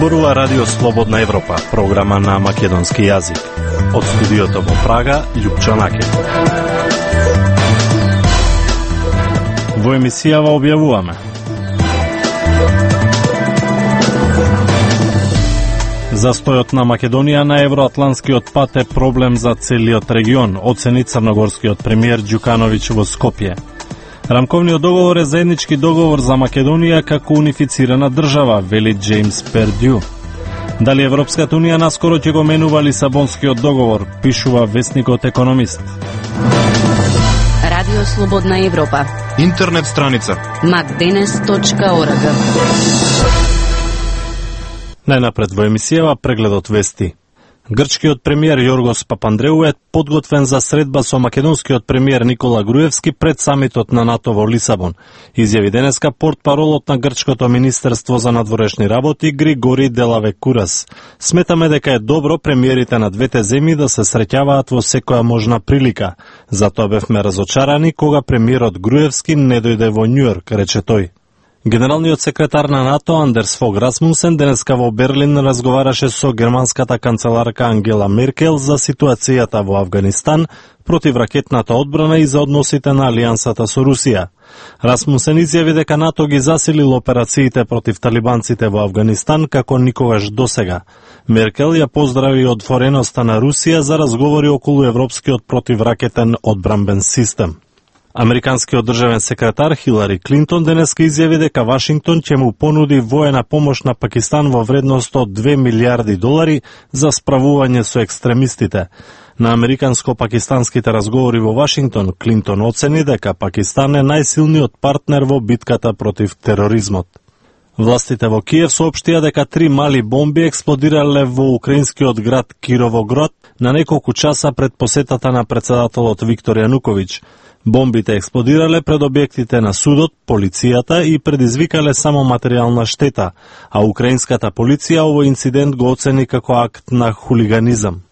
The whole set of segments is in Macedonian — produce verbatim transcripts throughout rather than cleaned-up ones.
Зборува Радио Слободна Европа, програма на македонски јазик. Од студиото во Прага, Љупчо Накев. Во емисијава објавуваме: застојот на Македонија на евроатланскиот пат е проблем за целиот регион, оцени црногорскиот премиер Ѓукановиќ во Скопје. Рамковниот договор е заеднички договор за Македонија како унифицирана држава, вели Джеймс Пердју. Дали Европската унија наскоро ќе го менува Лисабонскиот договор, пишува весникот Економист. Радио Слободна Европа. Интернет страница макденес точка орг. Најнапред во емисијава прегледот вести. Грчкиот премиер Јоргос Папандреу е подготвен за средба со македонскиот премиер Никола Груевски пред самитот на НАТО во Лисабон, изјави денеска портпаролот на грчкото министерство за надворешни работи Григори Делавекурас. Сметаме дека е добро премиерите на двете земји да се среќаваат во секоја можна прилика. Затоа бевме разочарани кога премиерот Груевски не дојде во Њујорк, рече тој. Генералниот секретар на НАТО Андерс Фог Расмусен денеска во Берлин разговараше со германската канцеларка Ангела Меркел за ситуацијата во Авганистан, противракетната одбрана и за односите на алијансата со Русија. Расмусен изјави дека НАТО ги засилил операциите против талибанците во Авганистан како никогаш досега. Меркел ја поздрави отвореноста на Русија за разговори околу европскиот противракетен одбранбен систем. Американскиот државен секретар Хилари Клинтон денеска изјави дека Вашингтон ќе му понуди воена помош на Пакистан во вредност од две милијарди долари за справување со екстремистите. На американско-пакистанските разговори во Вашингтон, Клинтон оцени дека Пакистан е најсилниот партнер во битката против тероризмот. Властите во Киев соопштија дека три мали бомби експлодирале во украинскиот град Кировоград на неколку часа пред посетата на председателот Виктор Јануковиќ. Бомбите експлодирале пред објектите на судот, полицијата и предизвикале само материјална штета, а украинската полиција овој инцидент го оцени како акт на хулиганизам.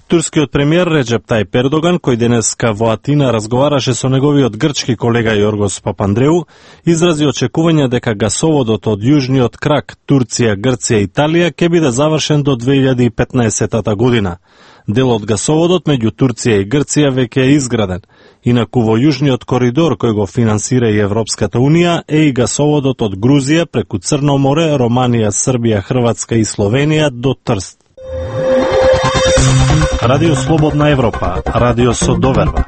Турскиот премиер Реджеп Тајип Ердоган, кој денеска во Атина разговараше со неговиот грчки колега Јоргос Папандреу, изрази очекување дека гасоводот од јужниот крак Турција, Грција и Италија ќе биде завршен до две илјади и петнаесета година. Дел од гасоводот меѓу Турција и Грција веќе е изграден. Инаку во јужниот коридор кој го финансира и Европската унија е и гасоводот од Грузија преку Црно море, Романија, Србија, Хрватска и Словенија до Трст. Радио Слободна Европа, радио со доверба.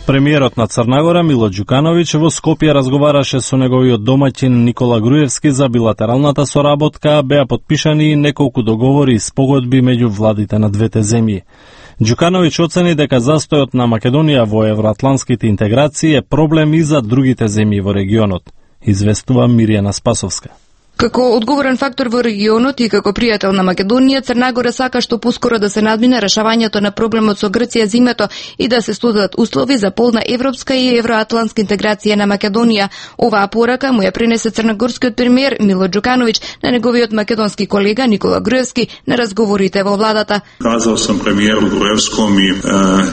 Премиерот на Црна Гора Мило Ѓукановиќ во Скопје разговараше со неговиот домаќин Никола Груевски за билатералната соработка, а беа потпишани неколку договори и спогодби меѓу владите на двете земји. Ѓукановиќ оцени дека застојот на Македонија во евроатланските интеграции е проблем и за другите земји во регионот, известува Мирјана Спасовска. Како одговорен фактор во регионот и како пријател на Македонија, Црна Гора сака што поскоро да се надмине решавањето на проблемот со Грција зимето и да се создадат услови за полна европска и евроатлантска интеграција на Македонија. Оваа порака му ја пренесе црногорскиот премиер Мило Ѓукановиќ на неговиот македонски колега Никола Груевски на разговорите во владата. Казал сам премиеру Груевском и е,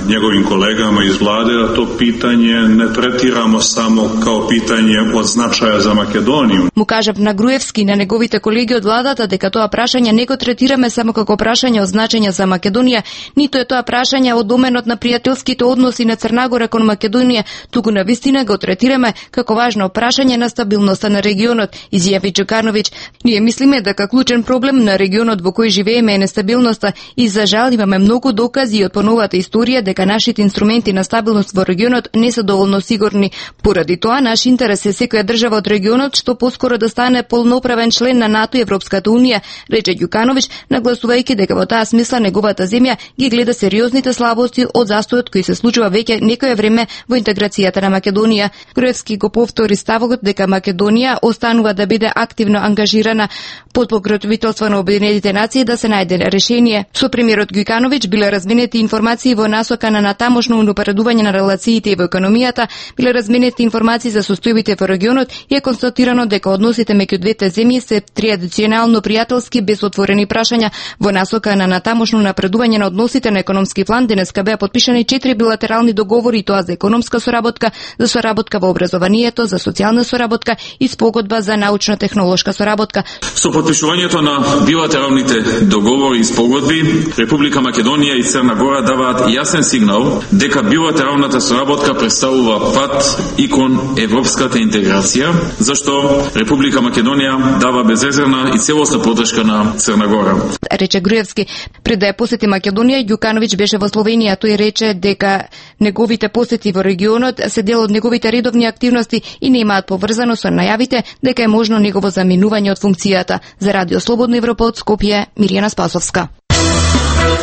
неговим колегама из владе да то питање не третирамо само као питање од значаја за Македонија. Му кажав на Груевски и на неговите колеги од владата дека тоа прашање не го третираме само како прашање од значење за Македонија, ниту е тоа прашање од доменот на пријателските односи на Црна Гора кон Македонија, туку на вистина го третираме како важно прашање на стабилноста на регионот, изјави Ѓукановиќ. Ние мислиме дека клучен проблем на регионот во кој живееме е нестабилноста и за жал имаме многу докази од поновата историја дека нашите инструменти на стабилност во регионот не се доволно сигурни. Поради тоа наш интерес е секоја држава од регионот што поскоро да стане полноправен член на НАТО и Европската унија, рече Ѓукановиќ, нагласувајќи дека во таа смисла неговата земја ги гледа сериозните слабости од застојот кој се случува веќе некое време во интеграцијата на Македонија. Груевски го повтори ставот дека Македонија останува да биде активно ангажирана под покровителство на Обединетите нации да се најде решение. Со премиерот Ѓукановиќ биле разменети информации во насока на натамошно унапредување на релациите во економијата, биле разменети информации за состојбите во регионот и е констатирано дека односите меѓу двете две земји се традиционално пријателски без отворени прашања во насока на натамошно напредување на односите на економски план. Денеска беа подпишани четири билатерални договори, тоа за економска соработка, за соработка во образованието, за социјална соработка и спогодба за научно-технолошка соработка. Со подпишувањето на билатералните договори и спогодби, Република Македонија и Црна Гора даваат јасен сигнал дека билатералната соработка представува пат и кон европската интеграција, зашто Република Македонија дава безрезервна и целосна поддршка на Црна Гора. Рече Груевски. Пред да ја посети Македонија, Ѓукановиќ беше во Словенија. Тој рече дека неговите посети во регионот се дел од неговите редовни активности и немаат поврзано со најавите дека е можно негово заминување од функцијата. За Радио Слободна Европа од Скопје, Мирјана Спасовска.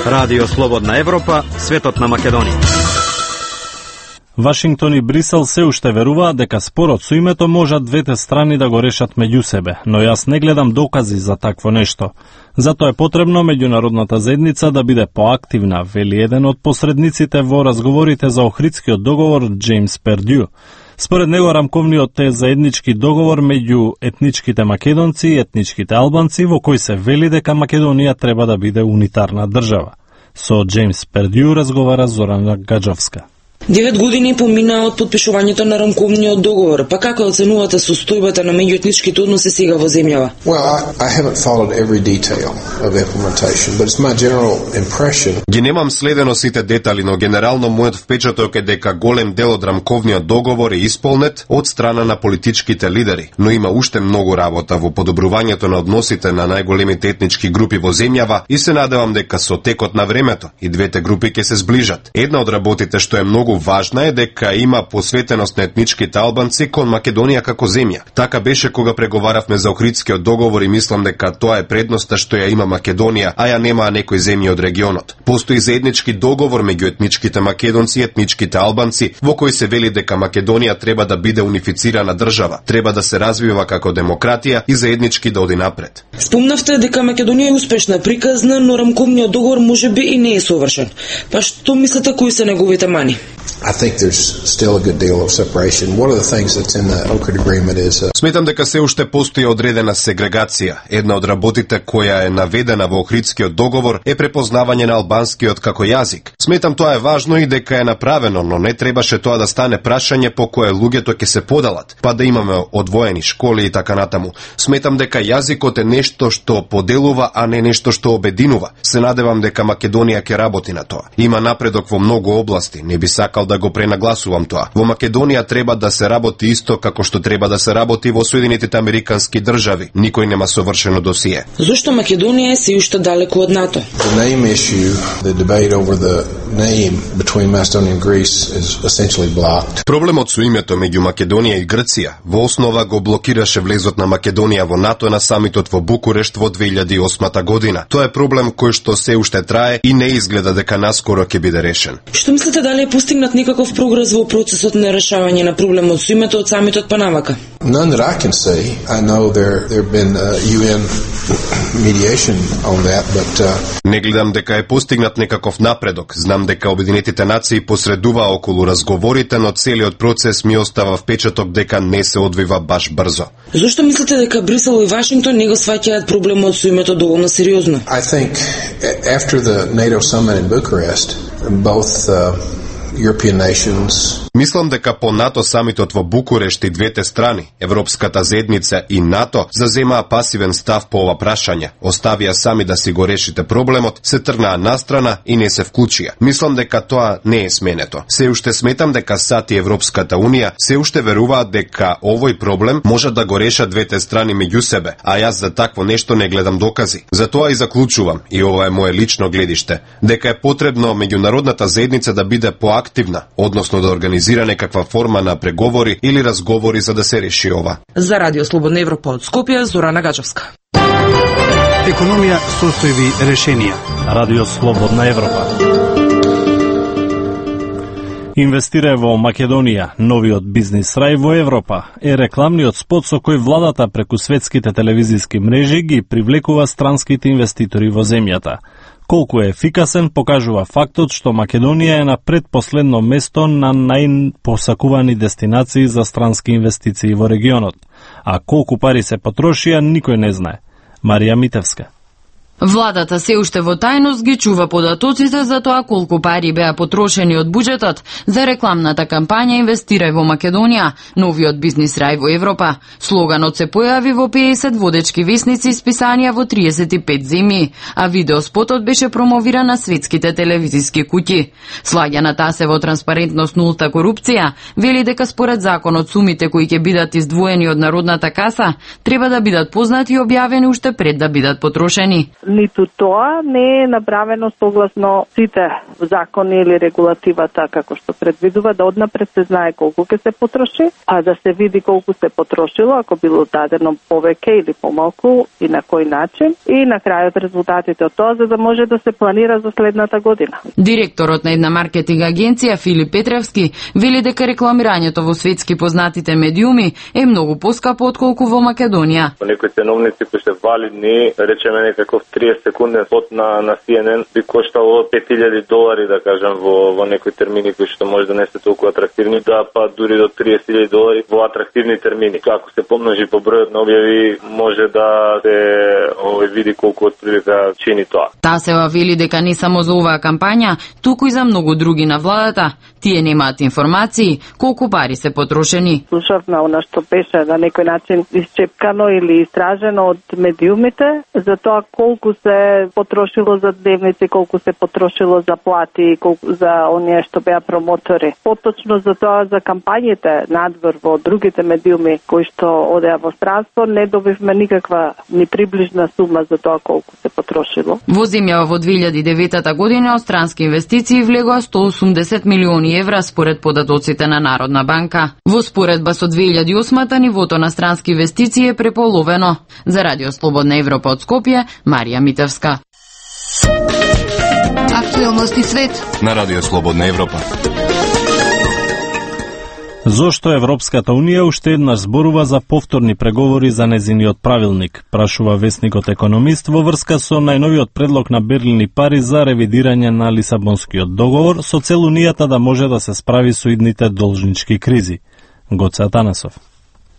Радио Слободна Европа, светот на Македонија. Вашингтон и Брисел се уште веруваат дека спорот со името можат двете страни да го решат меѓу себе, но јас не гледам докази за такво нешто. Затоа е потребно меѓународната заедница да биде поактивна, вели еден од посредниците во разговорите за Охридскиот договор Джеймс Пердју. Според него рамковниот е заеднички договор меѓу етничките македонци и етничките албанци во кој се вели дека Македонија треба да биде унитарна држава. Со Джеймс Пердју разговара Зорана Гаджовска. Девет години поминаа од подпишувањето на рамковниот договор, па како оценувате состојбата на меѓуетничките односи сега во земјава? Well, I, I haven't followed every detail of implementation, but it's my general impression. Ги немам следено сите детали, но генерално мојот впечаток е дека голем дел од рамковниот договор е исполнет од страна на политичките лидери, но има уште многу работа во подобрувањето на односите на најголемите етнички групи во земјава и се надевам дека со текот на времето и двете групи ќе се сближат. Една од работите што е многу важна е дека има посветеност на етничките албанци кон Македонија како земја. Така беше кога преговаравме за Охридскиот договор и мислам дека тоа е предноста што ја има Македонија, а ја немаа некои земји од регионот. Постои заеднички договор меѓу етничките македонци и етничките албанци во кој се вели дека Македонија треба да биде унифицирана држава, треба да се развива како демократија и заеднички да оди напред. Спомнавте дека Македонија е успешна, приказна, но рамковниот договор можеби и не е совршен. Па што мислите кои се неговите мани? I think there's still a good deal of separation. One of the things that's in the Ohrid agreement is uh... Сметам дека се уште постои одредена сегрегација. Една од работите која е наведена во Охридскиот договор е препознавање на албанскиот како јазик. Сметам тоа е важно и дека е направено, но не требаше тоа да стане прашање по кое луѓето ќе се подалат, па да имаме одвоени школи и така натаму. Сметам дека јазикот е нешто што поделува, а не нешто што обединува. Се надевам дека Македонија ќе работи на тоа. Има напредок во многу области, не би сакал да го пренагласувам тоа. Во Македонија треба да се работи исто како што треба да се работи во Соединетите Американски држави. Никој нема совршено досие. Зошто Македонија е се уште далеку од НАТО? The name issue, the debate over the name between Macedonia and Greece is essentially blocked. Проблемот со името меѓу Македонија и Грција во основа го блокираше влезот на Македонија во НАТО на самитот во Букурешт во две илјади и осма година. Тоа е проблем кој што се уште трае и не изгледа дека наскоро ќе биде решен. Што мислите, дали е постигнат некаков прогрес во процесот на решавање на проблемот со името од самитот Панамака? None that I can see. I know there there have been uh, U N mediation on that, but uh... не гледам дека е постигнат некаков напредок. Знам дека Обединетите нации посредува околу разговорите, но целиот процес ми остава впечаток дека не се одвива баш брзо. Зошто мислите дека Брисел и Вашингтон не го сваќаат проблемот со името доволно сериозно? I think after the NATO summit in Bucharest, both uh, European nations. Мислам дека по НАТО самитот во Букурешт и двете страни, Европската заедница и НАТО, заземаа пасивен став по ова прашање, оставија сами да си го решите проблемот, се тргнаа настрана и не се вклучија. Мислам дека тоа не е сменето. Се уште сметам дека САД и Европската Унија се уште веруваат дека овој проблем може да го решат двете страни меѓу себе, а јас за такво нешто не гледам докази. Затоа и заклучувам, и ова е моје лично гледиште, дека е потребно меѓународната заедница да биде поактивна, односно да организира некаква форма на преговори или разговори за да се реши ова. За Радио Слободна Европа од Скопје, Зорана Гаджовска. Економија, состојби, решенија. Радио Слободна Европа. Инвестира во Македонија, новиот бизнис рај во Европа, е рекламниот спот со кој владата преку светските телевизиски мрежи ги привлекува странските инвеститори во земјата. Колку е ефикасен покажува фактот што Македонија е на предпоследно место на најпосакувани дестинации за странски инвестиции во регионот, а колку пари се потрошија никој не знае. Марија Митевска. Владата се уште во тајност ги чува податоците за тоа колку пари беа потрошени од буџетот за рекламната кампања Инвестирај во Македонија, новиот бизнис рај во Европа. Слоганот се појави во педесет водечки весници списанија во триесет и пет земји, а видеоспотот беше промовиран на светските телевизиски куќи. Слаганата се во транспарентност нулта корупција, вели дека според законот сумите кои ќе бидат издвоени од народната каса треба да бидат познати и објавени уште пред да бидат потрошени. Ниту тоа не е направено согласно сите закони или регулативата како што предвидува да однапред се знае колку ќе се потроши, а да се види колку се потрошило, ако било дадено повеќе или помалку и на кој начин, и на крајот резултатите од тоа за да може да се планира за следната година. Директорот на една маркетинг агенција Филип Петревски вели дека рекламирањето во светски познатите медиуми е многу поскапо отколку во Македонија. Некои ценовници кои се валидни, речеме некаков триесет секунден спот на на Си Ен Ен би коштало пет илјади долари, да кажем, во во некои термини кои што може да не се толку атрактивни, да па дури до триесет илјади долари во атрактивни термини. Ако се помножи по бројот на објави, може да се овој види колку отприлика чини тоа. Тасева вели дека не само за оваа кампања, туку и за многу други на владата. Тие немаат информации колку пари се потрошени. Слушавме она што беше на некој начин исчепкано или истражено од медиумите за тоа колку се потрошило за дневници, колку се потрошило за плати, колку за оние што беа промотори. Поточно за тоа за кампањите надвор во другите медиуми кои што одеа во странство не добивме никаква ни приближна сума за тоа колку се потрошило. Во земјава во две илјади и девета година од странски инвестиции влегоа сто осумдесет милиони евра според податоците на Народна банка. Во споредба со две илјади и осма нивото на странски инвестиции е преполовено. За Радио Слободна Европа од Скопје, Марија Митевска. Актуелности свет на Радио Слободна Европа. Зошто Европската Унија уште еднаш зборува за повторни преговори за незиниот правилник, прашува весникот Економист во врска со најновиот предлог на Берлин и Париз за ревидирање на Лисабонскиот договор со цел Унијата да може да се справи со идните должнички кризи. Гоце Атанасов.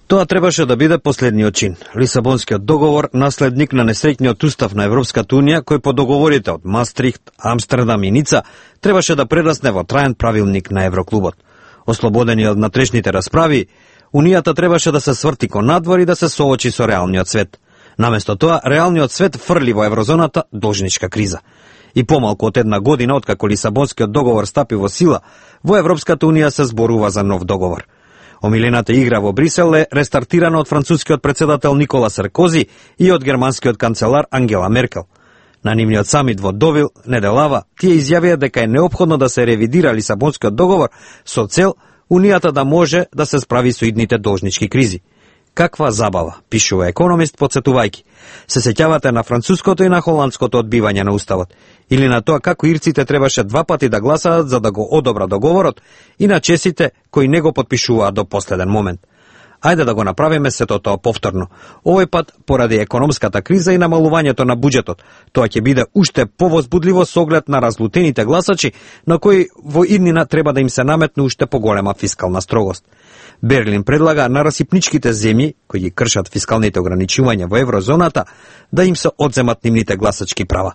Тоа требаше да биде последниот чин. Лисабонскиот договор, наследник на несреќниот устав на Европската Унија, кој по договорите од Мастрихт, Амстердам и Ница, требаше да прерасне во траен правилник на Евроклубот. Ослободени од натрешните расправи, Унијата требаше да се сврти кон надвор и да се соочи со реалниот свет. Наместо тоа, реалниот свет фрли во еврозоната должничка криза. И помалку од една година, откако Лисабонскиот договор стапи во сила, во Европската Унија се зборува за нов договор. Омилената игра во Брисел е рестартирана од францускиот председател Никола Саркози и од германскиот канцелар Ангела Меркел. На нивниот самит во Довил неделава тие изјавија дека е неопходно да се ревидира Лисабонскиот договор со цел Унијата да може да се справи со идните должнички кризи. Каква забава, пишува Економист подсетувајќи. Се сеќавате на француското и на холандското одбивање на уставот, или на тоа како ирците требаше два пати да гласаат за да го одобра договорот и на чесите кои не го потпишуваат до последен момент. Ајде да го направиме сето тоа повторно. Овој пат поради економската криза и намалувањето на буџетот. Тоа ќе биде уште повозбудливо со оглед на разлутените гласачи на кои во иднина треба да им се наметне уште поголема фискална строгост. Берлин предлага на расипничките земји, кои ги кршат фискалните ограничувања во еврозоната, да им се одземат нивните гласачки права.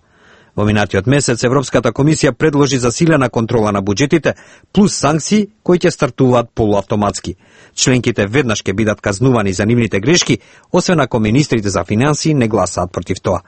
Во минатиот месец Европската комисија предложи засилена контрола на буџетите, плюс санкции кои ќе стартуваат полуавтоматски. Членките веднаш ќе бидат казнувани за нивните грешки, освен ако министрите за финансии не гласаат против тоа.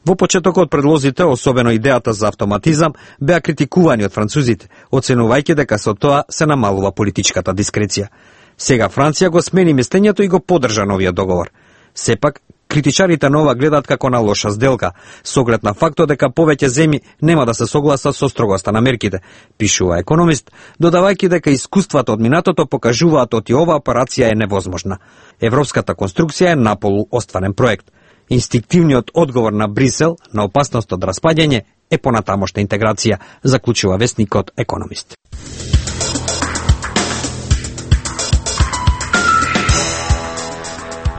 Во почетокот предлозите, особено идејата за автоматизам, беа критикувани од французите, оценувајќи дека со тоа се намалува политичката дискреција. Сега Франција го смени мислењето и го поддржа новиот договор. Сепак, критичарите на ова гледаат како на лоша сделка, со оглед на фактот дека повеќе земји нема да се согласат со строгоста на мерките, пишува Економист, додавајќи дека искуствата од минатото покажуваат оти ова операција е невозможна. Европската конструкција е наполу остварен проект. Инстинктивниот одговор на Брисел на опасност од распаѓање е понатамошна интеграција, заклучува весникот Економист.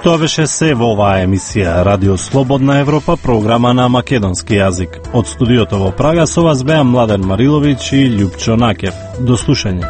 Тоа беше се во оваа емисија Радио Слободна Европа, програма на македонски јазик. Од студиото во Прага со вас беа Младен Мариловиќ и Љупчо Накев. До слушање.